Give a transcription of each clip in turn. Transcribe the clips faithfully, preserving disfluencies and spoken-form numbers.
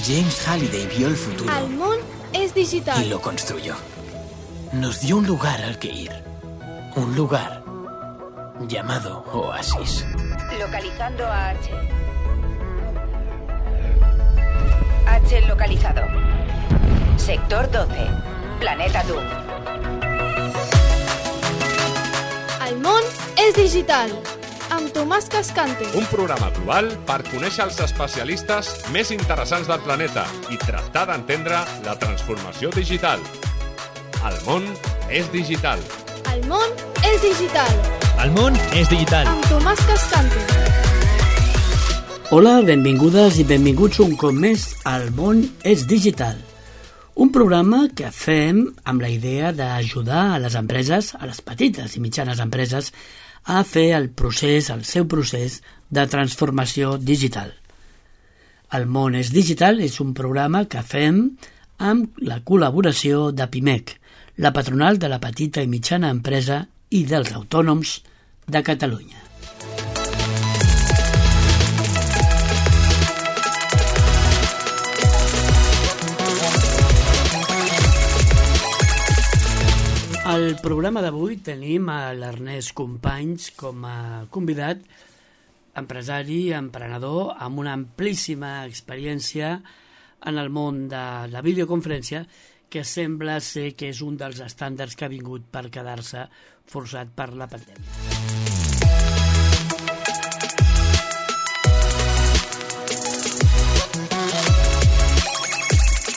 James Halliday vio el futuro. El món es digital. Y lo construyó. Nos dio un lugar al que ir. Un lugar llamado Oasis. Localizando a H. H localizado. Sector doce. Planeta Doom. El món és digital. Amb Tomàs Cascante. Un programa global per conèixer els especialistes més interessants del planeta i tractar d'entendre la transformació digital. El món és digital. El món és digital. El món és digital. Amb Tomàs Cascante. Hola, benvingudes i benvinguts un cop més al món és digital. Un programa que fem amb la idea d'ajudar a les empreses, a les petites i mitjanes empreses, a fer el procés, el seu procés de transformació digital. El món és digital és un programa que fem amb la col·laboració de Pimec, la patronal de la petita i mitjana empresa i dels autònoms de Catalunya. Al programa d'avui tenim a l'Ernest Companys com a convidat, empresari, emprenedor, amb una amplíssima experiència en el món de la videoconferència, que sembla ser que és un dels estàndards que ha vingut per quedar-se forçat per la pandèmia.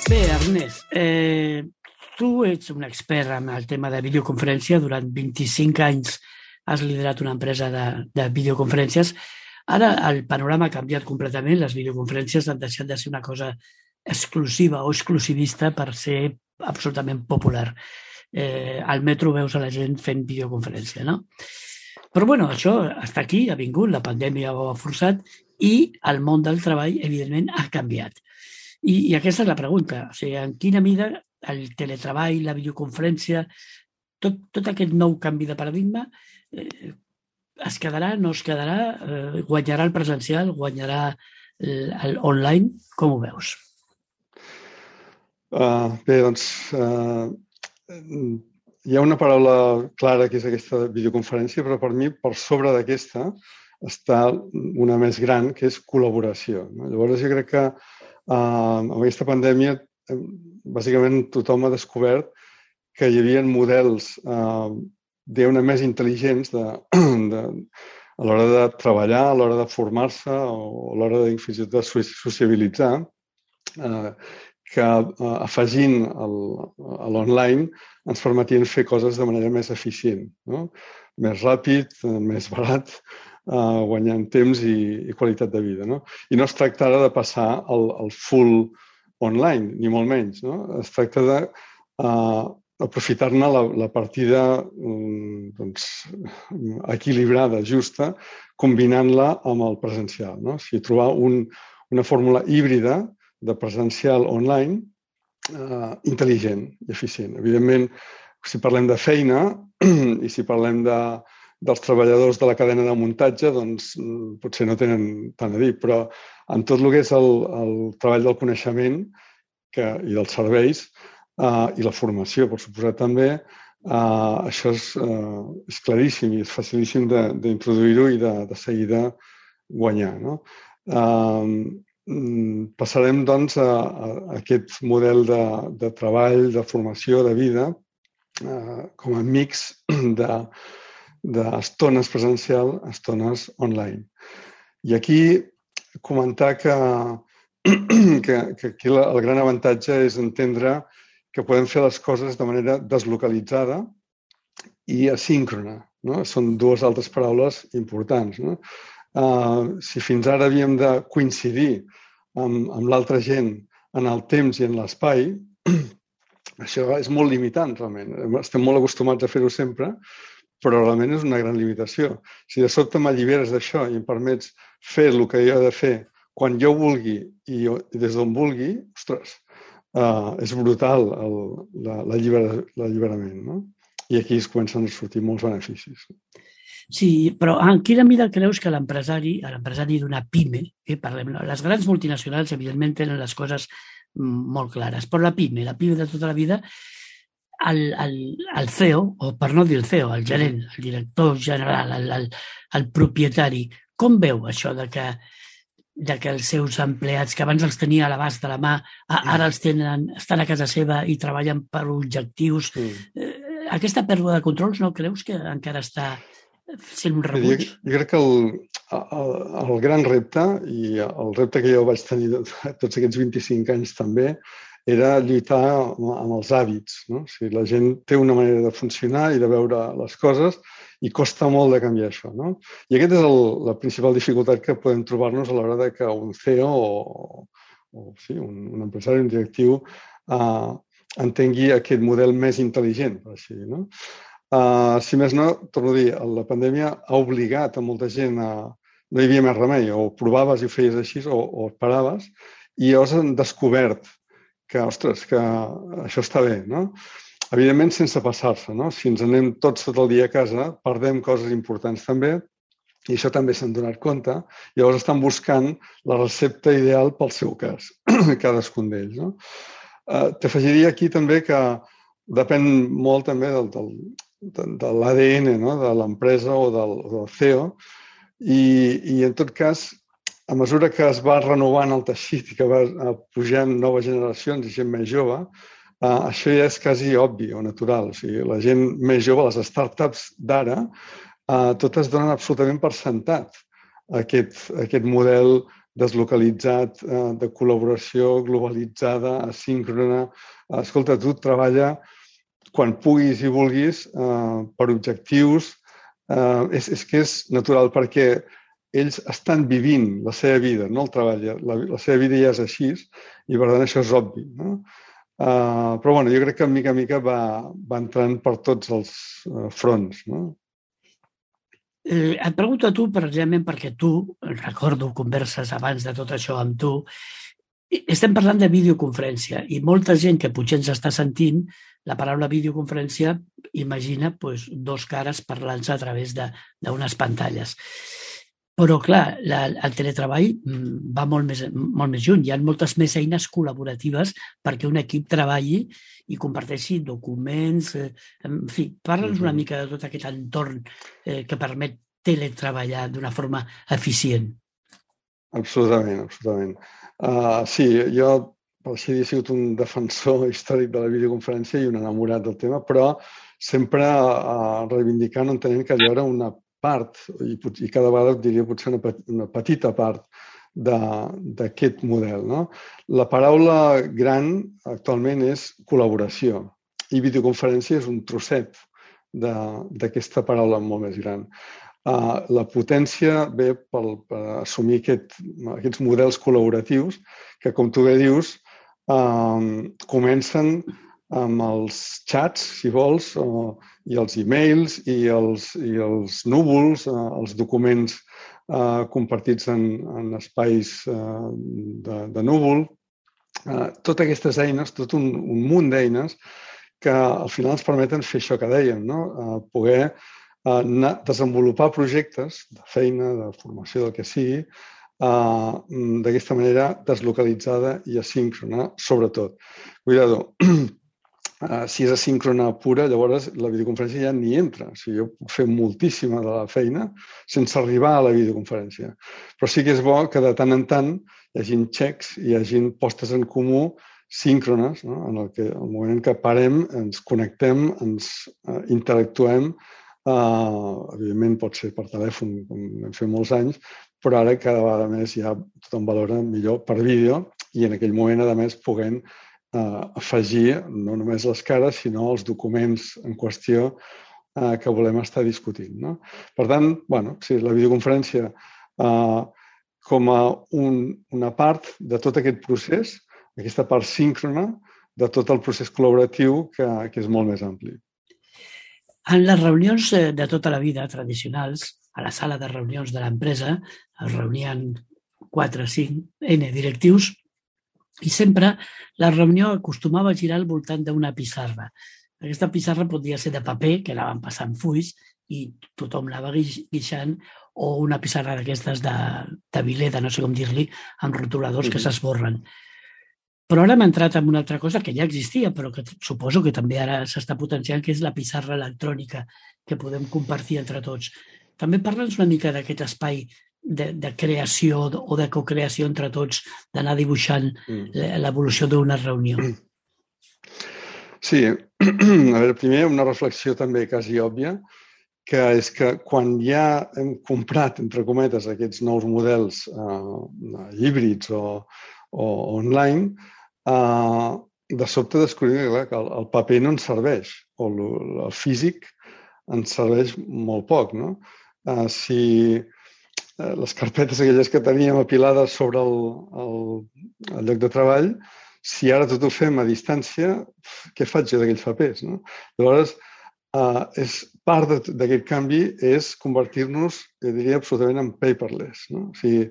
Bé, Ernest, eh, tu ets un expert en el tema de videoconferència. Durant vint-i-cinc anys has liderat una empresa de, de videoconferències. Ara el panorama ha canviat completament. Les videoconferències han deixat de ser una cosa exclusiva o exclusivista per ser absolutament popular. Eh, al metro veus a la gent fent videoconferència, no? Però bueno, això està aquí, ha vingut, la pandèmia ho ha forçat i el món del treball, evidentment, ha canviat. I, i aquesta és la pregunta. O sigui, en quina mida el teletreball, la videoconferència, tot, tot aquest nou canvi de paradigma, eh, es quedarà, no es quedarà, eh, guanyarà el presencial, guanyarà l'online, com ho veus? Uh, bé, doncs, uh, hi ha una paraula clara que és aquesta videoconferència, però per mi, per sobre d'aquesta, està una més gran, que és col·laboració. No? Llavors, jo crec que uh, amb aquesta pandèmia bàsicament tothom ha descobert que hi havia models eh, diguem-ne més intel·ligents de, de, a l'hora de treballar, a l'hora de formar-se o a l'hora de, fins i tot de sociabilitzar, eh, que eh, afegint el, a l'online ens permetien fer coses de manera més eficient, no? Més ràpid, més barat, eh, guanyant temps i, i qualitat de vida. No? I no es tracta ara de passar el, el full online, ni molt menys. No? Es tracta d'aprofitar-ne uh, la, la partida um, doncs, equilibrada, justa, combinant-la amb el presencial. No? O sigui, trobar un, una fórmula híbrida de presencial online uh, intel·ligent i eficient. Evidentment, si parlem de feina i si parlem de, dels treballadors de la cadena de muntatge, doncs potser no tenen tant a dir, però en tot el que és el, el treball del coneixement que, i dels serveis eh, i la formació, per suposat també, eh, això és, eh, és claríssim i és facilíssim d'introduir-ho i de, de seguida guanyar. No? Eh, passarem, doncs, a, a aquest model de, de treball, de formació, de vida, eh, com a mix de d'estones presencial, estones online. I aquí comentar que, que, que aquí el gran avantatge és entendre que podem fer les coses de manera deslocalitzada i asíncrona. No? Són dues altres paraules importants. No? Uh, si fins ara havíem de coincidir amb, amb l'altra gent en el temps i en l'espai, això és molt limitant, realment. Estem molt acostumats a fer-ho sempre, però realment és una gran limitació. Si de sobte m'alliberes d'això i em permets fer el que jo he de fer quan jo vulgui i, jo, i des d'on vulgui, ostres, uh, és brutal l'alliberament. No? I aquí es comencen a sortir molts beneficis. Sí, però en quina mida creus que l'empresari, l'empresari d'una pime, eh, parlem, les grans multinacionals evidentment tenen les coses molt clares, però la pime, la pime de tota la vida, el, el, el C E O, o per no dir el C E O, el gerent, el director general, el, el, el propietari, com veu això de que, de que els seus empleats, que abans els tenia a l'abast de la mà, ara els tenen, estan a casa seva i treballen per objectius? Mm. Aquesta pèrdua de controls no creus que encara està sent un rebuig? Jo, jo crec que el, el, el gran repte, i el repte que jo vaig tenir tots aquests vint-i-cinc anys també, era lluitar amb els hàbits. No? O sigui, la gent té una manera de funcionar i de veure les coses i costa molt de canviar això. No? I aquesta és el, la principal dificultat que podem trobar-nos a l'hora de que un C E O o, o sí, un, un empresari, un directiu, eh, entengui aquest model més intel·ligent, per així dir. No? Uh, si més no, torno a dir, la pandèmia ha obligat a molta gent a... No hi havia més remei, o provaves i ho feies així, o, o esperaves, i llavors han descobert que, ostres, que això està bé, no? Evidentment, sense passar-se, no? Si ens anem tots tot el dia a casa, perdem coses importants també, i això també s'han donat compte, i llavors estan buscant la recepta ideal pel seu cas, cadascun d'ells, no? Uh, T'afegiria aquí també que depèn molt també del, del, de, de l'A D N, no? De l'empresa o del, del C E O, i, i en tot cas, a mesura que es va renovant el teixit i que va pujant noves generacions i gent més jove, uh, això ja és quasi obvi o natural. O sigui, la gent més jove, les startups d'ara, uh, totes donen absolutament per sentat aquest, aquest model deslocalitzat, uh, de col·laboració globalitzada, asíncrona. Uh, escolta, tu treballa quan puguis i vulguis uh, per objectius. Uh, és, és que és natural perquè ells estan vivint la seva vida, no el treball. La, la seva vida ja és així i, per tant, això és obvi. No? Uh, però, bueno, jo crec que, de mica en mica, va, va entrant per tots els uh, fronts. No? Eh, et pregunto a tu, precisament perquè tu, recordo converses abans de tot això amb tu, estem parlant de videoconferència i molta gent que potser ens està sentint, la paraula videoconferència imagina pues, dos cares parlant-se a través d'unes pantalles. Però, clar, la, el teletreball va molt més, molt més lluny. Hi ha moltes més eines col·laboratives perquè un equip treballi i comparteixi documents. Eh, en fi, parla'ns una mica de tot aquest entorn eh, que permet teletreballar d'una forma eficient. Absolutament, absolutament. Uh, sí, jo, per així dir, he sigut un defensor històric de la videoconferència i un enamorat del tema, però sempre uh, reivindicant, entenent que allò era una part, i, i cada vegada diria potser una, una petita part d'aquest model. No? La paraula gran actualment és col·laboració i videoconferència és un trosset d'aquesta paraula molt més gran. Uh, la potència ve pel, per assumir aquest, aquests models col·laboratius que, com tu bé dius, uh, comencen amb els xats, si vols, uh, i els e-mails i els, i els núvols, uh, els documents uh, compartits en, en espais uh, de, de núvol. Uh, totes aquestes eines, tot un, un munt d'eines que al final ens permeten fer això que dèiem, no? Uh, poder uh, anar, desenvolupar projectes de feina, de formació, del que sigui, uh, d'aquesta manera deslocalitzada i asíncrona, sobretot. Cuidado, Uh, si és asíncrona pura, llavors la videoconferència ja ni entra. O sigui, jo puc fer moltíssima de la feina sense arribar a la videoconferència. Però sí que és bo que de tant en tant hi hagi xecs, hi hagi postes en comú síncrones, no? En el, que, el moment en què parem, ens connectem, ens uh, interactuem. Uh, evidentment pot ser per telèfon, com vam fer molts anys, però ara cada vegada més ja tothom valora millor per vídeo i en aquell moment, a més, puguem Uh, afegir no només les cares, sinó els documents en qüestió uh, que volem estar discutint. No? Per tant, bueno, sí, la videoconferència uh, com a un, una part de tot aquest procés, aquesta part síncrona de tot el procés col·laboratiu que, que és molt més ampli. En les reunions de tota la vida tradicionals, a la sala de reunions de l'empresa, es reunien quatre, cinc, N directius, i sempre la reunió acostumava a girar al voltant d'una pissarra. Aquesta pissarra podia ser de paper, que anaven passant fulls, i tothom anava guixant, o una pissarra d'aquestes de, de Vileda, no sé com dir-li, amb rotuladors que s'esborren. Però ara hem entrat en una altra cosa que ja existia, però que suposo que també ara s'està potenciant, que és la pissarra electrònica, que podem compartir entre tots. També parla'ns una mica d'aquest espai de, de creació o de cocreació entre tots, d'anar dibuixant l'evolució d'una reunió. Sí, a veure, primer una reflexió també quasi òbvia, que és que quan ja hem comprat, entre cometes, aquests nous models eh, híbrids o, o online, eh, de sobte descobrim que, clar, que el, el paper no ens serveix, o el, el físic ens serveix molt poc, no? Eh, si eh, les carpetes aquelles que teníem apilades sobre el, el, el lloc de treball, si ara tot ho fem a distància, què faig jo d'aquells papers, no? Llavors, Uh, és part d'aquest canvi és convertir-nos, jo diria, absolutament en paperless, no? O sigui,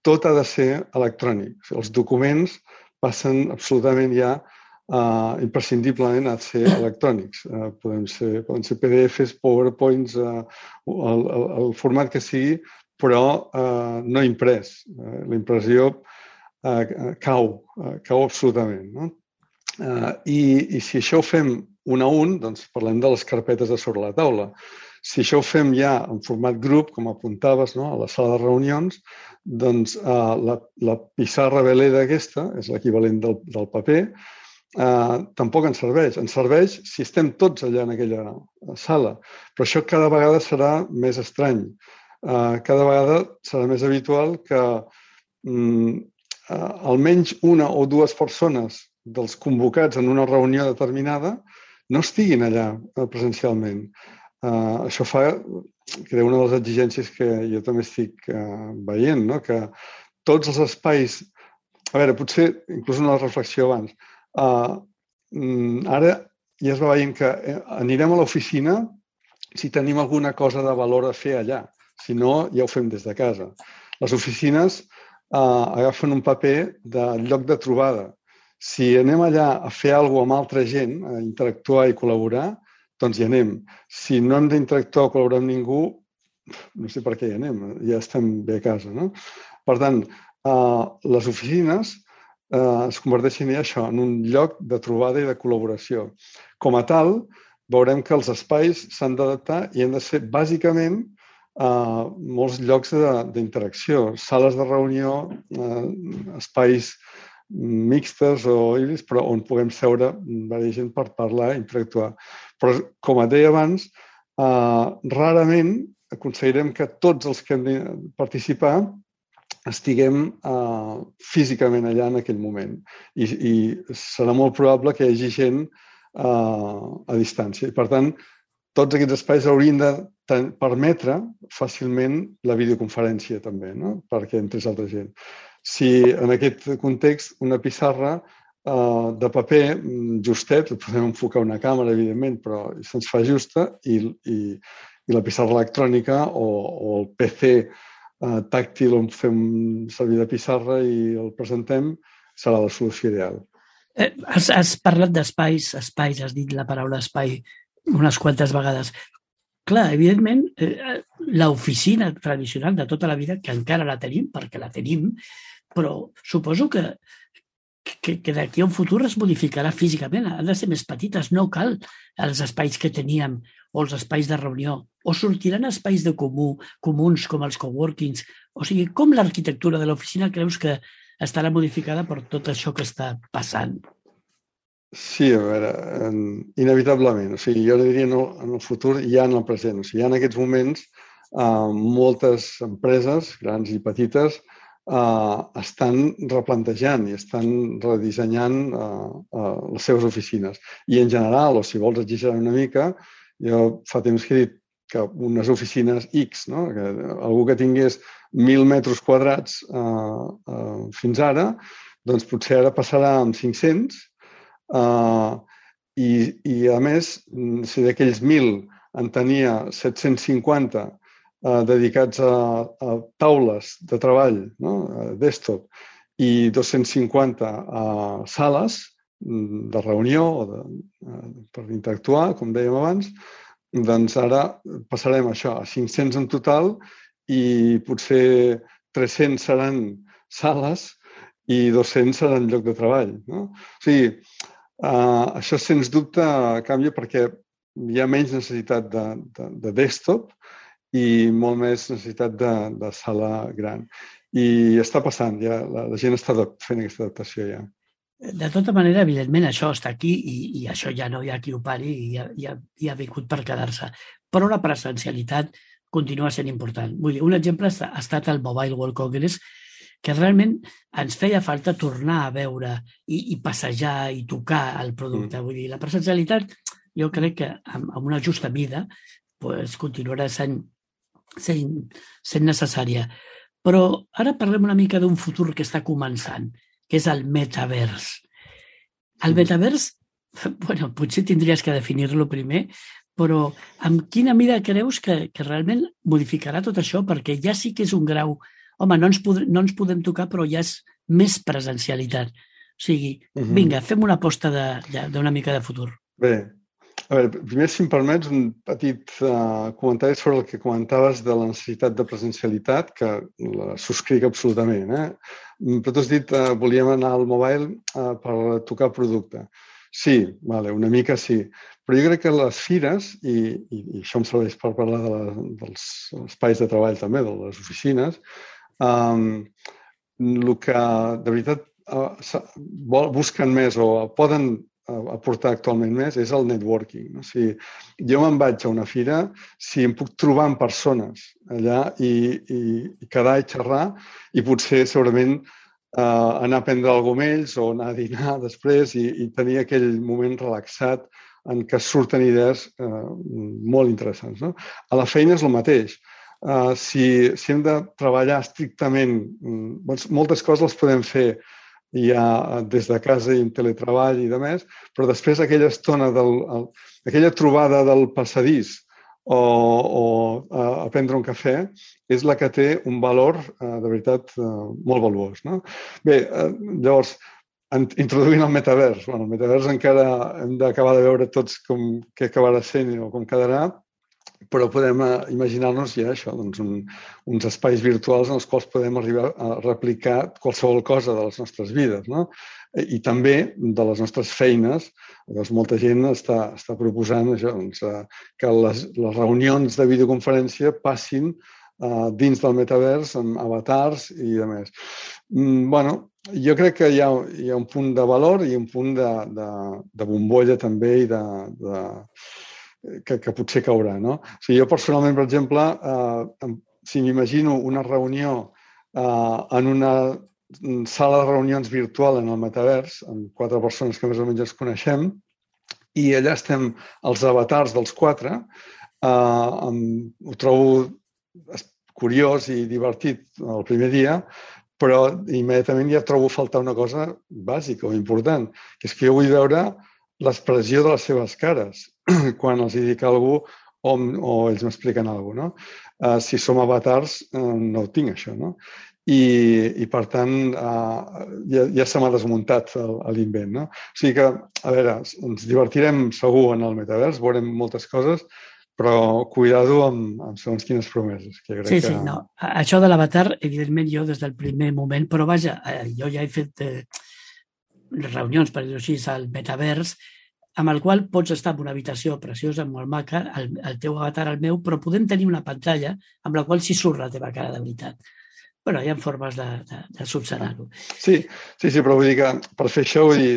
tot ha de ser electrònic. O sigui, els documents passen absolutament ja uh, imprescindiblement a ser electrònics. Uh, poden ser, poden ser P D Fs, PowerPoints, uh, el, el, el format que sigui, però uh, no imprès. Uh, la impressió uh, cau, uh, cau absolutament, no? Uh, i, I si això ho fem un a un, doncs parlem de les carpetes de sobre la taula. Si això ho fem ja en format grup, com apuntaves, no? A la sala de reunions, doncs uh, la, la pissarra veleda aquesta, és l'equivalent del, del paper, uh, tampoc ens serveix. Ens serveix si estem tots allà en aquella sala, però això cada vegada serà més estrany. Uh, cada vegada serà més habitual que um, uh, almenys una o dues persones dels convocats en una reunió determinada no estiguin allà presencialment. Uh, això fa, crec, una de les exigències que jo també estic uh, veient, no? Que tots els espais... A veure, potser inclús una reflexió abans. Uh, ara ja es va veient que anirem a l'oficina si tenim alguna cosa de valor a fer allà. Si no, ja ho fem des de casa. Les oficines uh, agafen un paper de lloc de trobada. Si anem allà a fer alguna cosa amb altra gent, a interactuar i col·laborar, doncs hi anem. Si no hem d'interactuar o col·laborar amb ningú, no sé per què hi anem, ja estem bé a casa, no? Per tant, eh, les oficines eh, es converteixen ja això, en un lloc de trobada i de col·laboració. Com a tal, veurem que els espais s'han d'adaptar i han de ser bàsicament eh, molts llocs d'interacció, sales de reunió, eh, espais mixtes o híbrids, però on puguem seure diversa gent per parlar i interactuar. Però, com et deia abans, eh, rarament aconseguirem que tots els que hem de participar estiguem eh, físicament allà en aquell moment. I, i serà molt probable que hi hagi gent eh, a distància. I, per tant, tots aquests espais haurien de permetre fàcilment la videoconferència també, no? Perquè entrés altra gent. Si en aquest context una pissarra eh, de paper justet, podem enfocar una càmera, evidentment, però se'ns fa justa, i, i, i la pissarra electrònica o, o el P C eh, tàctil on fem servir de pissarra i el presentem, serà la solució ideal. Eh, has, has parlat d'espais, espais, has dit la paraula espai unes quantes vegades. Clar, evidentment, eh, l'oficina tradicional de tota la vida, que encara la tenim, perquè la tenim, però suposo que, que, que d'aquí a un futur es modificarà físicament. Han de ser més petites, no cal els espais que teníem o els espais de reunió. O sortiran espais de comú, comuns com els coworkings. O sigui, com l'arquitectura de l'oficina creus que estarà modificada per tot això que està passant? Sí, a veure, inevitablement. O sigui, jo diria no en el futur i ja en el present. O sigui, ja en aquests moments eh, moltes empreses, grans i petites, Uh, estan replantejant i estan redissenyant uh, uh, les seves oficines. I en general, o si vols exagerar una mica, jo fa temps que he dit que unes oficines X, no? Que algú que tingués mil metres quadrats uh, uh, fins ara, doncs potser ara passarà amb cinc-cents uh, i, i a més, si d'aquells mil en tenia set-cents cinquanta dedicats a, a taules de treball, no? A desktop, i dos-cents cinquanta a sales de reunió o de, per interactuar, com dèiem abans, doncs ara passarem això a cinc-cents en total i potser tres-cents seran sales i dos-cents seran lloc de treball. No? O sigui, uh, això sens dubte canvia perquè hi ha menys necessitat de, de, de desktop i molt més necessitat de, de sala gran. I està passant, ja, la, la gent està fent aquesta adaptació ja. De tota manera, evidentment, això està aquí i, i això ja no hi ha qui ho pari i ja, ja, ja ha vingut per quedar-se. Però la presencialitat continua sent important. Vull dir, un exemple ha estat el Mobile World Congress, que realment ens feia falta tornar a veure i, i passejar i tocar el producte. Mm. Vull dir, la presencialitat jo crec que amb, amb una justa mida pues, continuarà sent, sent, sent necessària. Però ara parlem una mica d'un futur que està començant, que és el metavers. El metavers, bueno, potser tindries que definir-lo primer, però amb quina mida creus que, que realment modificarà tot això? Perquè ja sí que és un grau... Home, no ens, pod no ens podem tocar, però ja és més presencialitat. O sigui, vinga, fem una aposta d'una mica de futur. Bé, a veure, primer, si em permets, un petit uh, comentari sobre el que comentaves de la necessitat de presencialitat, que la subscric absolutament. Eh? Però tu has dit que uh, volíem anar al mobile uh, per tocar producte. Sí, vale, una mica sí. Però jo crec que les fires, i, i, i això em serveix per parlar de la, dels espais de treball també, de les oficines, um, el que de veritat uh, busquen més o poden aportar actualment més és el networking. No? O sigui, jo me'n vaig a una fira si em puc trobar amb persones allà i, i, i quedar i xerrar i potser segurament uh, anar a prendre alguna cosa amb ells o anar a dinar després i, i tenir aquell moment relaxat en què surten idees uh, molt interessants. No? A la feina és el mateix. Uh, si, si hem de treballar estrictament, doncs moltes coses les podem fer ja des de casa i en teletreball i de més, però després aquella estona, del, el, aquella trobada del passadís o, o a, a prendre un cafè és la que té un valor, eh, de veritat, eh, molt valuós. No? Bé, eh, llavors, en, introduint el metavers. Bueno, el metavers encara hem d'acabar de veure tots com, què acabarà sent o com quedarà, però podem imaginar-nos ja això, doncs un, uns espais virtuals en els quals podem arribar a replicar qualsevol cosa de les nostres vides, no? I també de les nostres feines. Doncs molta gent està, està proposant això, doncs, que les, les reunions de videoconferència passin uh, dins del metavers amb avatars i de més. Mm, bueno, jo crec que hi ha, hi ha un punt de valor i un punt de, de, de bombolla també i de... de Que, que potser caurà. No? O sigui, jo personalment, per exemple, eh, si m'imagino una reunió eh, en una sala de reunions virtual en el metavers, amb quatre persones que més o menys ens coneixem, i allà estem els avatars dels quatre, eh, amb, ho trobo curiós i divertit el primer dia, però immediatament ja trobo faltar una cosa bàsica o important, que és que jo vull veure l'expressió de les seves cares quan els dic alguna cosa o, o ells m'expliquen alguna cosa. No? Uh, si som avatars, uh, no ho tinc, això. No? I, i, per tant, uh, ja, ja se m'ha desmuntat l'invent. No? O sigui que, a veure, ens divertirem segur en el metavers, veurem moltes coses, però cuidado amb, amb segons quines promeses. Que crec sí, que... sí, no. Això de l'avatar, evidentment, jo des del primer moment, però vaja, jo ja he fet... Eh... reunions, per dir-ho així, al metavers, amb el qual pots estar en una habitació preciosa, molt maca, el, el teu avatar, el meu, però podem tenir una pantalla amb la qual sí surt la teva cara de veritat. Però hi ha formes de, de, de subsanar-ho. Sí, sí, sí, però vull dir que per fer això vull dir,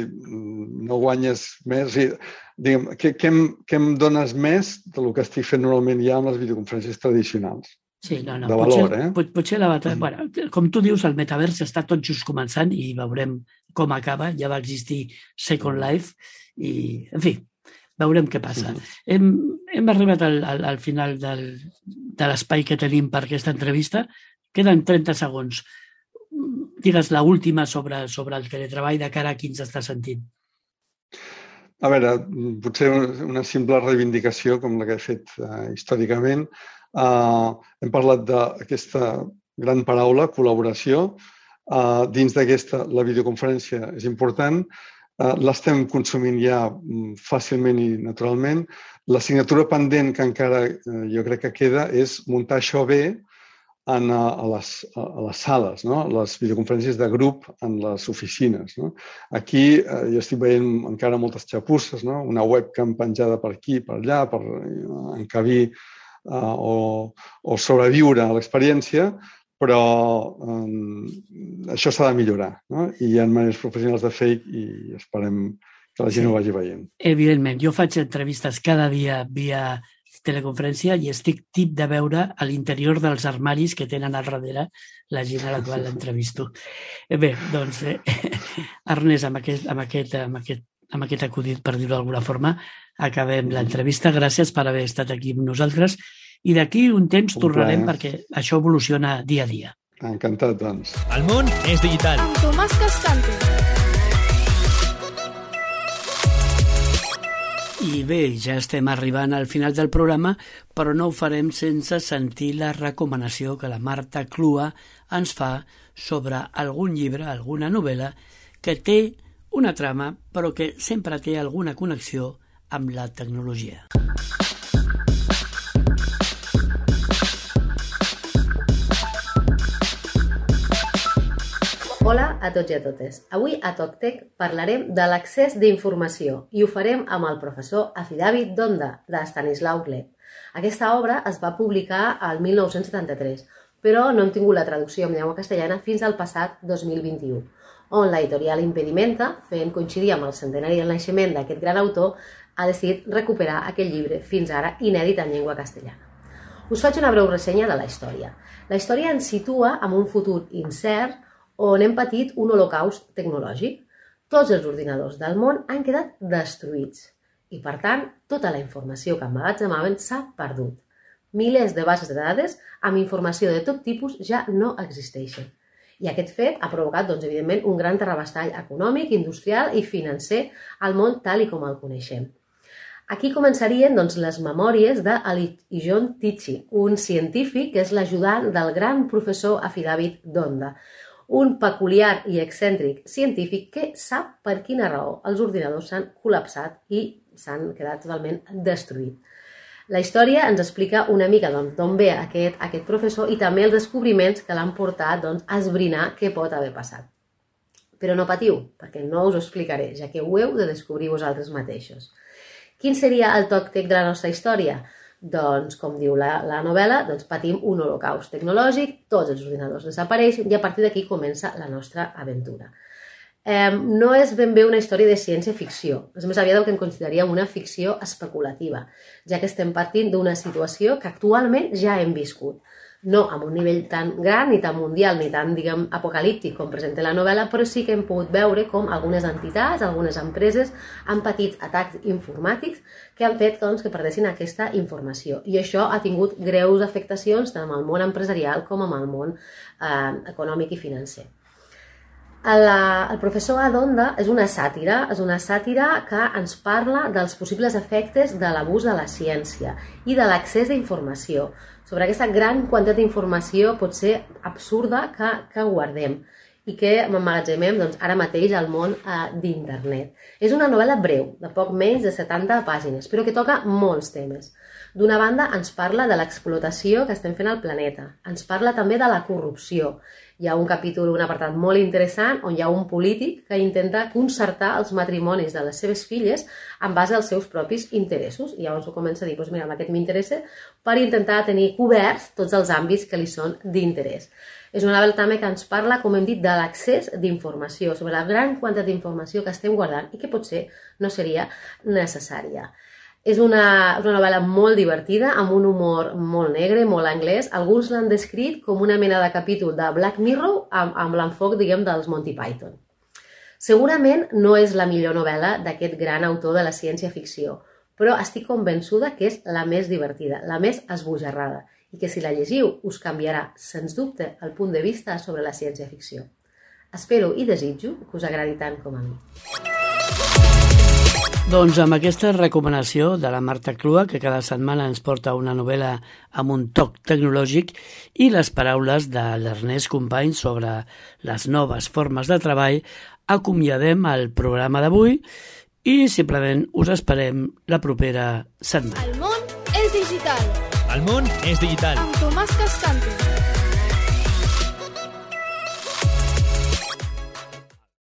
no guanyes més. O sigui, digue'm, què, què, em, què em dones més del que estic fent normalment ja amb les videoconferències tradicionals? Sí, no, no. De valor, potser, eh? Pot, potser l'avatar... Mm. Bueno, com tu dius, el metavers està tot just començant i veurem com acaba. Ja va existir Second Life i, en fi, veurem què passa. Mm. Hem, hem arribat al, al, al final del, de l'espai que tenim per aquesta entrevista. Queden trenta segons. Digues l'última sobre, sobre el teletreball de cara a qui ens està sentint. A veure, potser una simple reivindicació com la que he fet uh, històricament. Uh, hem parlat d'aquesta gran paraula, col·laboració. Uh, dins d'aquesta, la videoconferència és important. eh, l'estem consumint ja fàcilment i naturalment. L'assignatura pendent que encara eh, jo crec que queda és muntar això bé en, a, les, a les sales, no? Les videoconferències de grup en les oficines. No? Aquí eh, jo estic veient encara moltes xapusses, no? Una webcam penjada per aquí, per allà, per encabir eh, o, o sobreviure a l'experiència, però eh, això s'ha de millorar. No? I hi ha maneres professionals de fer i esperem que la gent sí. ho vagi veient. Evidentment, jo faig entrevistes cada dia via teleconferència i estic tip de veure a l'interior dels armaris que tenen al darrere la gent a la qual l'entrevisto. Bé, doncs, eh, Ernest, amb aquest, amb, aquest, amb, aquest, amb aquest acudit, per dir-ho d'alguna forma, acabem l'entrevista. Gràcies per haver estat aquí amb nosaltres i d'aquí un temps un tornarem plaer. Perquè això evoluciona dia a dia. Encantat, doncs. El món és digital. Amb Tomàs Cascante. I bé, ja estem arribant al final del programa, però no ho farem sense sentir la recomanació que la Marta Clua ens fa sobre algun llibre, alguna novel·la, que té una trama, però que sempre té alguna connexió amb la tecnologia. Hola a tots i a totes. Avui a TocTec parlarem de l'accés d'informació i ho farem amb el professor Afidàvit Donda, de Stanislau Gleb. Aquesta obra es va publicar al mil nou-cents setanta-tres, però no hem tingut la traducció en llengua castellana fins al passat dos mil vint-i-u, on l'editorial Impedimenta, fent coincidir amb el centenari del naixement d'aquest gran autor, ha decidit recuperar aquest llibre, fins ara inèdit en llengua castellana. Us faig una breu ressenya de la història. La història ens situa en un futur incert on hem patit un holocaust tecnològic. Tots els ordinadors del món han quedat destruïts i, per tant, tota la informació que emmagatzemaven s'ha perdut. Milers de bases de dades amb informació de tot tipus ja no existeixen. I aquest fet ha provocat, doncs, evidentment, un gran terrabastall econòmic, industrial i financer al món tal i com el coneixem. Aquí començarien doncs, les memòries d'Alijon Tichy, un científic que és l'ajudant del gran professor Afidàvit Donda, un peculiar i excèntric científic que sap per quina raó els ordinadors s'han col·lapsat i s'han quedat totalment destruïts. La història ens explica una mica d'on doncs, ve aquest, aquest professor i també els descobriments que l'han portat doncs, a esbrinar què pot haver passat. Però no patiu, perquè no us ho explicaré, ja que ho heu de descobrir vosaltres mateixos. Quin seria el TocTec de la nostra història? Doncs, com diu la, la novel·la, doncs patim un holocaust tecnològic, tots els ordinadors desapareixen i a partir d'aquí comença la nostra aventura. Eh, no és ben bé una història de ciència-ficció, és més aviat el que en consideraríem una ficció especulativa, ja que estem partint d'una situació que actualment ja hem viscut. No amb un nivell tan gran, ni tan mundial, ni tan, diguem, apocalíptic com presenta la novel·la, però sí que hem pogut veure com algunes entitats, algunes empreses han patit atacs informàtics que han fet doncs, que perdessin aquesta informació. I això ha tingut greus afectacions tant amb el món empresarial com amb el món eh, econòmic i financer. El, el professor Adonda és una sàtira, és una sàtira que ens parla dels possibles efectes de l'abús de la ciència i de l'accés d'informació, sobre aquesta gran quantitat d'informació pot ser absurda que, que guardem i que emmagatzemem doncs, ara mateix al món eh, d'internet. És una novel·la breu, de poc menys de setanta pàgines, però que toca molts temes. D'una banda, ens parla de l'explotació que estem fent al planeta. Ens parla també de la corrupció. Hi ha un capítol, un apartat molt interessant on hi ha un polític que intenta concertar els matrimonis de les seves filles en base als seus propis interessos. I llavors ho comença a dir, doncs mira, amb aquest m'interessa, per intentar tenir coberts tots els àmbits que li són d'interès. És una novel·la també que ens parla, com hem dit, de l'accés d'informació, sobre la gran quantitat d'informació que estem guardant i que potser no seria necessària. És una, una novel·la molt divertida, amb un humor molt negre, molt anglès. Alguns l'han descrit com una mena de capítol de Black Mirror amb, amb l'enfoc, diguem, dels Monty Python. Segurament no és la millor novel·la d'aquest gran autor de la ciència-ficció, però estic convençuda que és la més divertida, la més esbojarrada, i que si la llegiu us canviarà, sens dubte, el punt de vista sobre la ciència-ficció. Espero i desitjo que us agradi tant com a mi. Doncs amb aquesta recomanació de la Marta Clua, que cada setmana ens porta una novel·la amb un toc tecnològic, i les paraules de l'Ernest Company sobre les noves formes de treball, acomiadem el programa d'avui i simplement us esperem la propera setmana. El món és digital. El món és digital. Amb Tomàs Cascante.